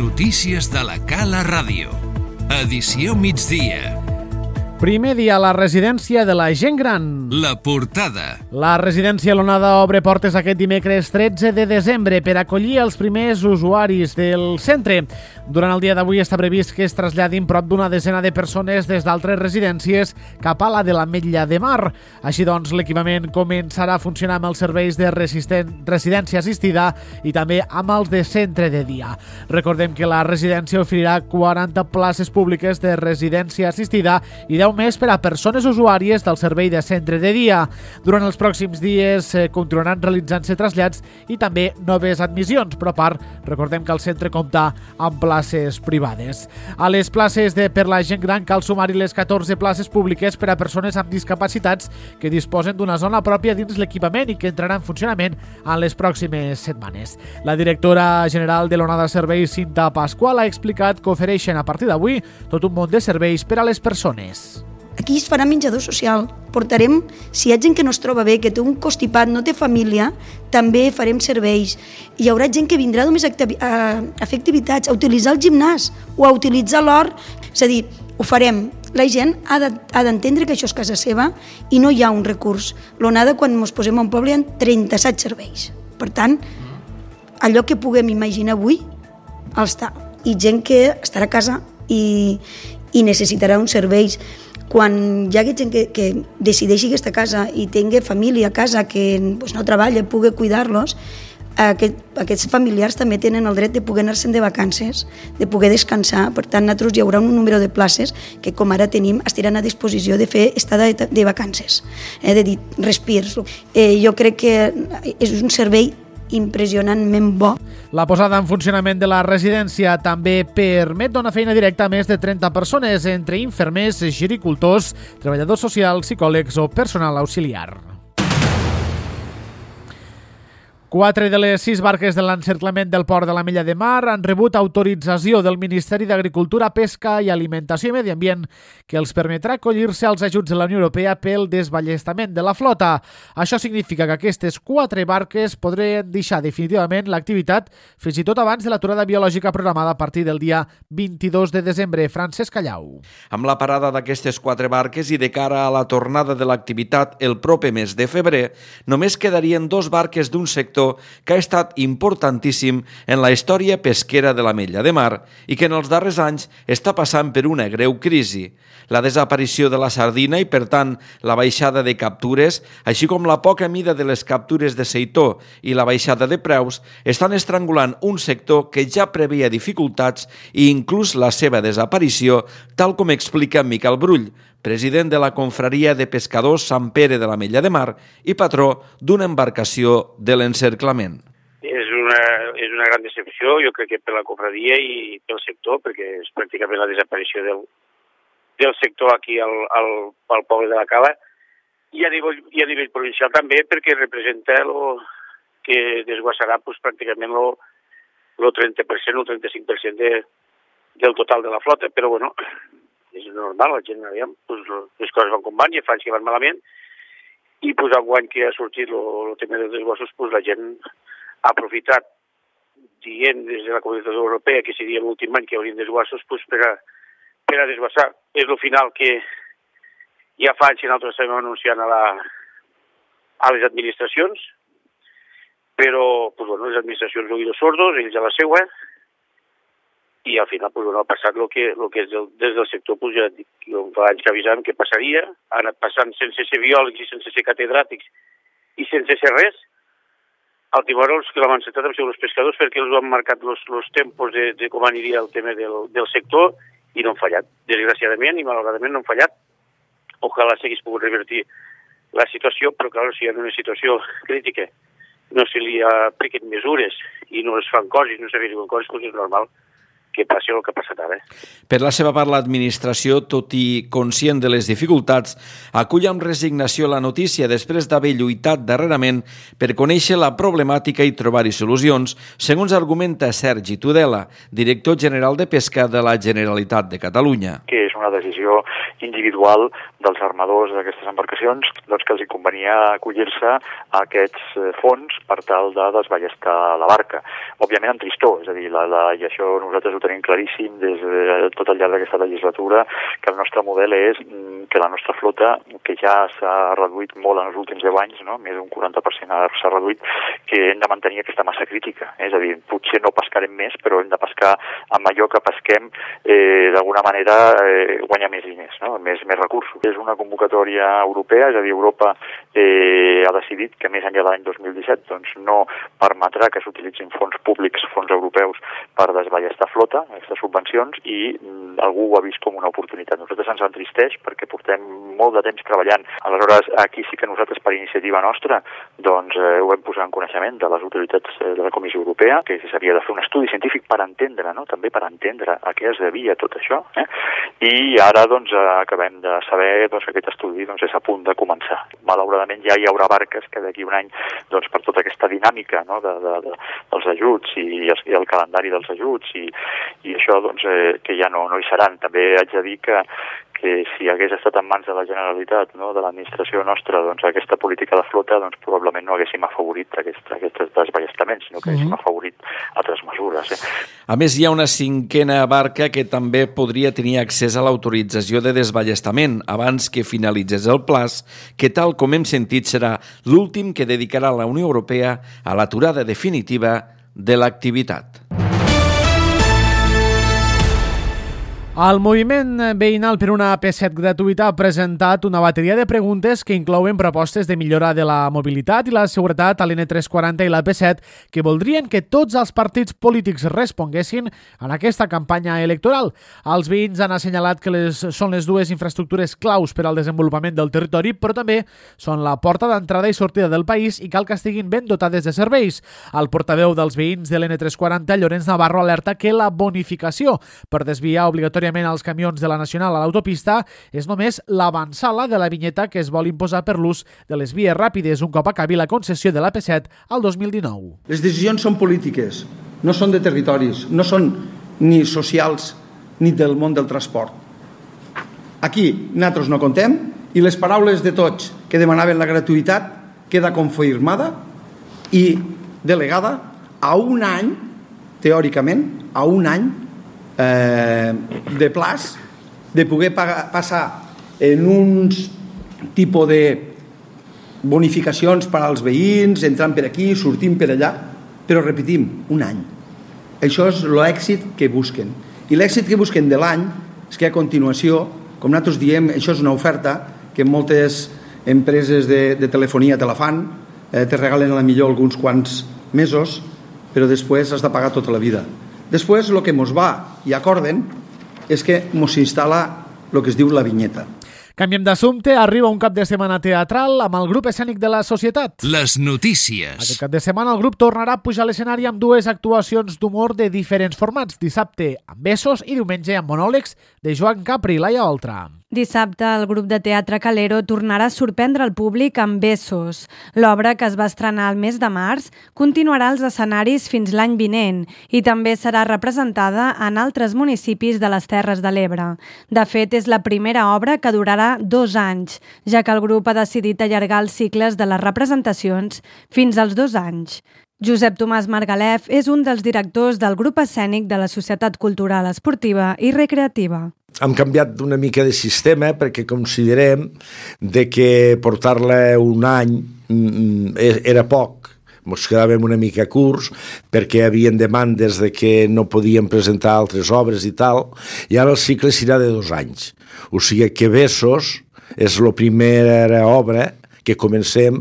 Notícies de la Cala Ràdio. Edició migdia. Primer dia a la residència de la gent gran. La portada. La residència L'Onada obre portes aquest dimecres 13 de desembre per acollir els primers usuaris del centre. Durant el dia d'avui està previst que es traslladin prop d'una desena de persones des d'altres residències cap a la de l'Ametlla de Mar. Així doncs, l'equipament començarà a funcionar amb els serveis de residència assistida i també amb els de centre de dia. Recordem que la residència oferirà 40 places públiques de residència assistida i 10 més per a persones usuàries del servei de centre de dia. Durant els pròxims dies continuaran realitzant-se trasllats i també noves admissions, però a part, recordem que el centre compta amb places privades. A les places per la gent gran cal sumar-hi les 14 places públiques per a persones amb discapacitats que disposen d'una zona pròpia dins l'equipament i que entrarà en funcionament en les pròximes setmanes. La directora general de l'Onada Serveis, Cinta Pasqual, ha explicat que ofereixen a partir d'avui tot un munt de serveis per a les persones. Aquí es farà menjador social. Portarem, si hi ha gent que no es troba bé, que té un constipat, no té família, també farem serveis. Hi haurà gent que vindrà només a fer activitats, a utilitzar el gimnàs o a utilitzar l'hort. És a dir, ho farem. La gent ha d'entendre que això és casa seva i no hi ha un recurs. L'Onada, quan ens posem a un poble, hi ha 37 serveis. Per tant, allò que puguem imaginar avui, els està. I gent que estarà a casa i necessitarà uns serveis. Quan hi hagi gent que decideixi aquesta casa i tingui família a casa que no treballa, pugui cuidar-los, aquests familiars també tenen el dret de poder anar-se'n de vacances, de poder descansar. Per tant, nosaltres hi haurà un número de places que, com ara tenim, estiran a disposició de fer estada de vacances, de dir respirs. Jo crec que és un servei impressionantment bo. La posada en funcionament de la residència també permet donar feina directa a més de 30 persones, entre infermers, gericultors, treballadors socials, psicòlegs o personal auxiliar. 4 de les 6 barques de l'encerclament del port de l'Ametlla de Mar han rebut autorització del Ministeri d'Agricultura, Pesca i Alimentació i Medi Ambient que els permetrà acollir-se als ajuts de la Unió Europea pel desballestament de la flota. Això significa que aquestes 4 barques podrien deixar definitivament l'activitat fins i tot abans de l'aturada biològica programada a partir del dia 22 de desembre. Francesc Callau. Amb la parada d'aquestes 4 barques i de cara a la tornada de l'activitat el proper mes de febrer, només quedarien 2 barques d'un sector que ha estat importantíssim en la història pesquera de l'Ametlla de Mar i que en els darrers anys està passant per una greu crisi. La desaparició de la sardina i, per tant, la baixada de captures, així com la poca mida de les captures de seitó i la baixada de preus, estan estrangulant un sector que ja preveia dificultats i inclús la seva desaparició, tal com explica Miquel Brull, president de la Confraria de Pescadors Sant Pere de l'Ametlla de Mar i patró d'una embarcació de l'encerclament. És una gran decepció, jo crec que per la confraria i pel sector, perquè és pràcticament la desaparició del sector aquí al poble de la Cala, i a nivell provincial també, perquè representa que desguassarà pràcticament el 30% o el 35% del total de la flota, però bueno, és normal, la gent, les coses van com van i fa anys que van malament, i enguany que ha sortit el tema dels desguassos, la gent ha aprofitat, dient des de la Comunitat Europea que seria l'últim any que hi haurien desguassos per a desguassar. És el final que ja fa anys que nosaltres estem anunciant a les administracions, però les administracions oïdos sordos, ells a la seua, i al final ha passat el que és des del sector, ja dic, fa anys que avisàvem que passaria, ha anat passant sense ser biòlegs i sense ser catedràtics i sense ser res. Al timor els que l'han encetat han sigut els pescadors perquè els han marcat els tempos de com aniria el tema del sector i no han fallat. Desgraciadament i malauradament no han fallat. Ojalà s'hagués pogut revertir la situació, però clar, si hi ha una situació crítica no se li apliquen mesures i no es fan coses, no s'arriben coses, és normal que passi el que ha passat ara. Per la seva part, l'administració, tot i conscient de les dificultats, acull amb resignació la notícia després d'haver lluitat darrerament per conèixer la problemàtica i trobar-hi solucions, segons argumenta Sergi Tudela, director general de Pesca de la Generalitat de Catalunya. Que és ser una decisió individual dels armadors d'aquestes embarcacions, doncs que els hi convenia acollir-se a aquests fons per tal de desballestar la barca. Òbviament amb tristor, és a dir, i això nosaltres ho tenim claríssim des de tot el llarg d'aquesta legislatura, que el nostre model és que la nostra flota, que ja s'ha reduït molt en els últims 10 anys, no? Més d'un 40% s'ha reduït, que hem de mantenir aquesta massa crítica. És a dir, potser no pescarem més, però hem de pescar amb allò que pesquem, d'alguna manera guanyar més diners, no? més recursos. És una convocatòria europea, és a dir, Europa ha decidit que més enllà de l'any 2017 doncs no permetrà que s'utilitzin fons públics, fons europeus, per desballestar flota, aquestes subvencions, i algú ho ha vist com una oportunitat. Nosaltres ens entristeix perquè portem molt de temps treballant. Aleshores, aquí sí que nosaltres, per iniciativa nostra, doncs ho hem posat en coneixement de les autoritats de la Comissió Europea, que s'havia de fer un estudi científic per entendre, no? També per entendre a què es devia tot això. I ara doncs acabem de saber que aquest estudi és a punt de començar. Malauradament ja hi haurà barques que d'aquí un any, doncs, per tota aquesta dinàmica, no? dels ajuts i el calendari dels ajuts i això doncs, que ja no hi seran. També haig de dir que si hagués estat en mans de la Generalitat, no? De l'administració nostra, doncs aquesta política de flota, doncs probablement no haguéssim afavorit aquests desballestaments, sinó que haguéssim afavorit altres mesures. A més, hi ha una 5a barca que també podria tenir accés a l'autorització de desballestament abans que finalitzés el plaç, que tal com hem sentit serà l'últim que dedicarà la Unió Europea a l'aturada definitiva de l'activitat. El moviment veïnal per una AP7 gratuïta ha presentat una bateria de preguntes que inclouen propostes de millora de la mobilitat i la seguretat a l'N340 i l'AP7 que voldrien que tots els partits polítics responguessin en aquesta campanya electoral. Els veïns han assenyalat que són les dues infraestructures claus per al desenvolupament del territori, però també són la porta d'entrada i sortida del país i cal que estiguin ben dotades de serveis. El portaveu dels veïns de l'N340, Llorenç Navarro, alerta que la bonificació per desviar obligatòriament els camions de la Nacional a l'autopista és només l'avançala de la vinyeta que es vol imposar per l'ús de les vies ràpides un cop acabi la concessió de l'AP7 al 2019. Les decisions són polítiques, no són de territoris, no són ni socials ni del món del transport. Aquí nosaltres no contem i les paraules de tots que demanaven la gratuïtat queda confirmada i delegada a un any, teòricament, a un any de plaç de poder passar en uns tipus de bonificacions per als veïns, entrant per aquí, sortint per allà, però repetim, un any. Això és l'èxit que busquen. I l'èxit que busquen de l'any és que a continuació, com nosaltres diem, això és una oferta que moltes empreses de telefonia te la fan, te regalen a la millor alguns quants mesos, però després has de pagar tota la vida. Després, el que ens va i acorden és que ens s'instal·la el que es diu la vinyeta. Canviem d'assumpte, arriba un cap de setmana teatral amb el grup escènic de la Societat. Les notícies. Aquest cap de setmana el grup tornarà a pujar a l'escenari amb dues actuacions d'humor de diferents formats. Dissabte amb Besos i diumenge amb monòlegs de Joan Capri i Laia Oltra. Dissabte, el grup de teatre Calero tornarà a sorprendre el públic amb Besos. L'obra, que es va estrenar al mes de març, continuarà als escenaris fins l'any vinent i també serà representada en altres municipis de les Terres de l'Ebre. De fet, és la primera obra que durarà 2 anys, ja que el grup ha decidit allargar els cicles de les representacions fins als 2 anys. Josep Tomàs Margalef és un dels directors del grup escènic de la Societat Cultural Esportiva i Recreativa. Hem canviat una mica de sistema perquè considerem de que portar-la un any era poc. Ens quedàvem una mica curts perquè hi havia demandes de que no podíem presentar altres obres i tal, i ara el cicle serà de 2 anys. O sigui que Besos és la primera obra que comencem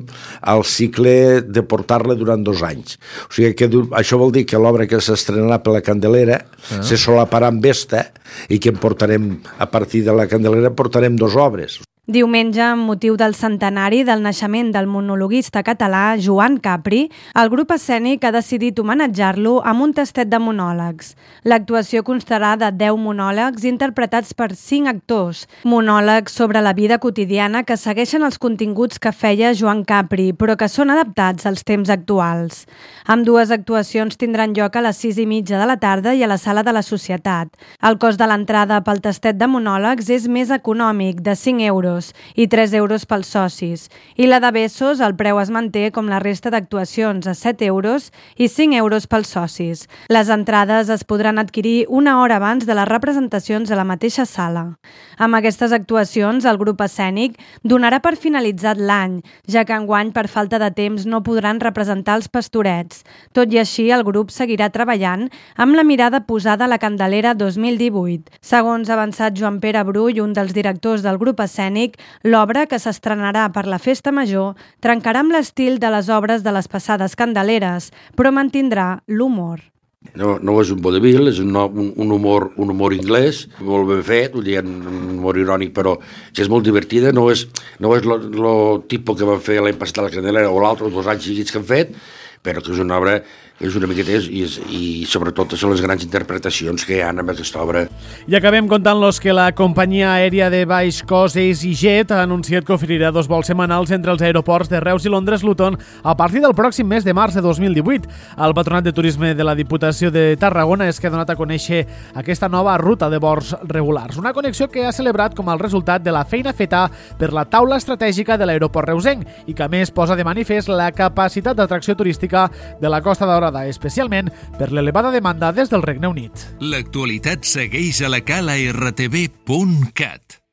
el cicle de portar-la durant 2 anys. O sigui que això vol dir que l'obra que s'estrenarà per la Candelera se solaparà amb esta i que en portarem, a partir de la Candelera, portarem 2 obres. Diumenge, amb motiu del centenari del naixement del monologuista català Joan Capri, el grup escènic ha decidit homenatjar-lo amb un tastet de monòlegs. L'actuació constarà de 10 monòlegs interpretats per 5 actors, monòlegs sobre la vida quotidiana que segueixen els continguts que feia Joan Capri, però que són adaptats als temps actuals. Ambdues actuacions tindran lloc a les 6:30 de la tarda i a la Sala de la Societat. El cost de l'entrada pel tastet de monòlegs és més econòmic, de 5 euros, i 3 euros pels socis. I la de Bessos, el preu es manté com la resta d'actuacions, a 7 euros i 5 euros pels socis. Les entrades es podran adquirir una hora abans de les representacions a la mateixa sala. Amb aquestes actuacions, el grup escènic donarà per finalitzat l'any, ja que enguany, per falta de temps, no podran representar els Pastorets. Tot i així, el grup seguirà treballant amb la mirada posada a la Candelera 2018. Segons ha avançat Joan Pere Brull, un dels directors del grup escènic, l'obra, que s'estrenarà per la Festa Major, trencarà amb l'estil de les obres de les passades Candeleres, però mantindrà l'humor. No és un vodevil, és un humor anglès, molt ben fet, un humor irònic, però que és molt divertida, no és el tipus que van fer l'any passat a la Candelera o l'altre, 2 anys seguits que han fet, però que és una obra que és una miqueta i sobretot són les grans interpretacions que hi ha en aquesta obra. I acabem contant-los que la companyia aèria de baix cost EasyJet ha anunciat que oferirà 2 vols setmanals entre els aeroports de Reus i Londres-Luton a partir del pròxim mes de març de 2018. El Patronat de Turisme de la Diputació de Tarragona és que ha donat a conèixer aquesta nova ruta de vols regulars. Una connexió que ha celebrat com el resultat de la feina feta per la taula estratègica de l'aeroport reusenc i que a més posa de manifest la capacitat d'atracció turística de la Costa Daurada, especialment per l'elevada demanda des del Regne Unit. L'actualitat segueix a la cala rtv.cat.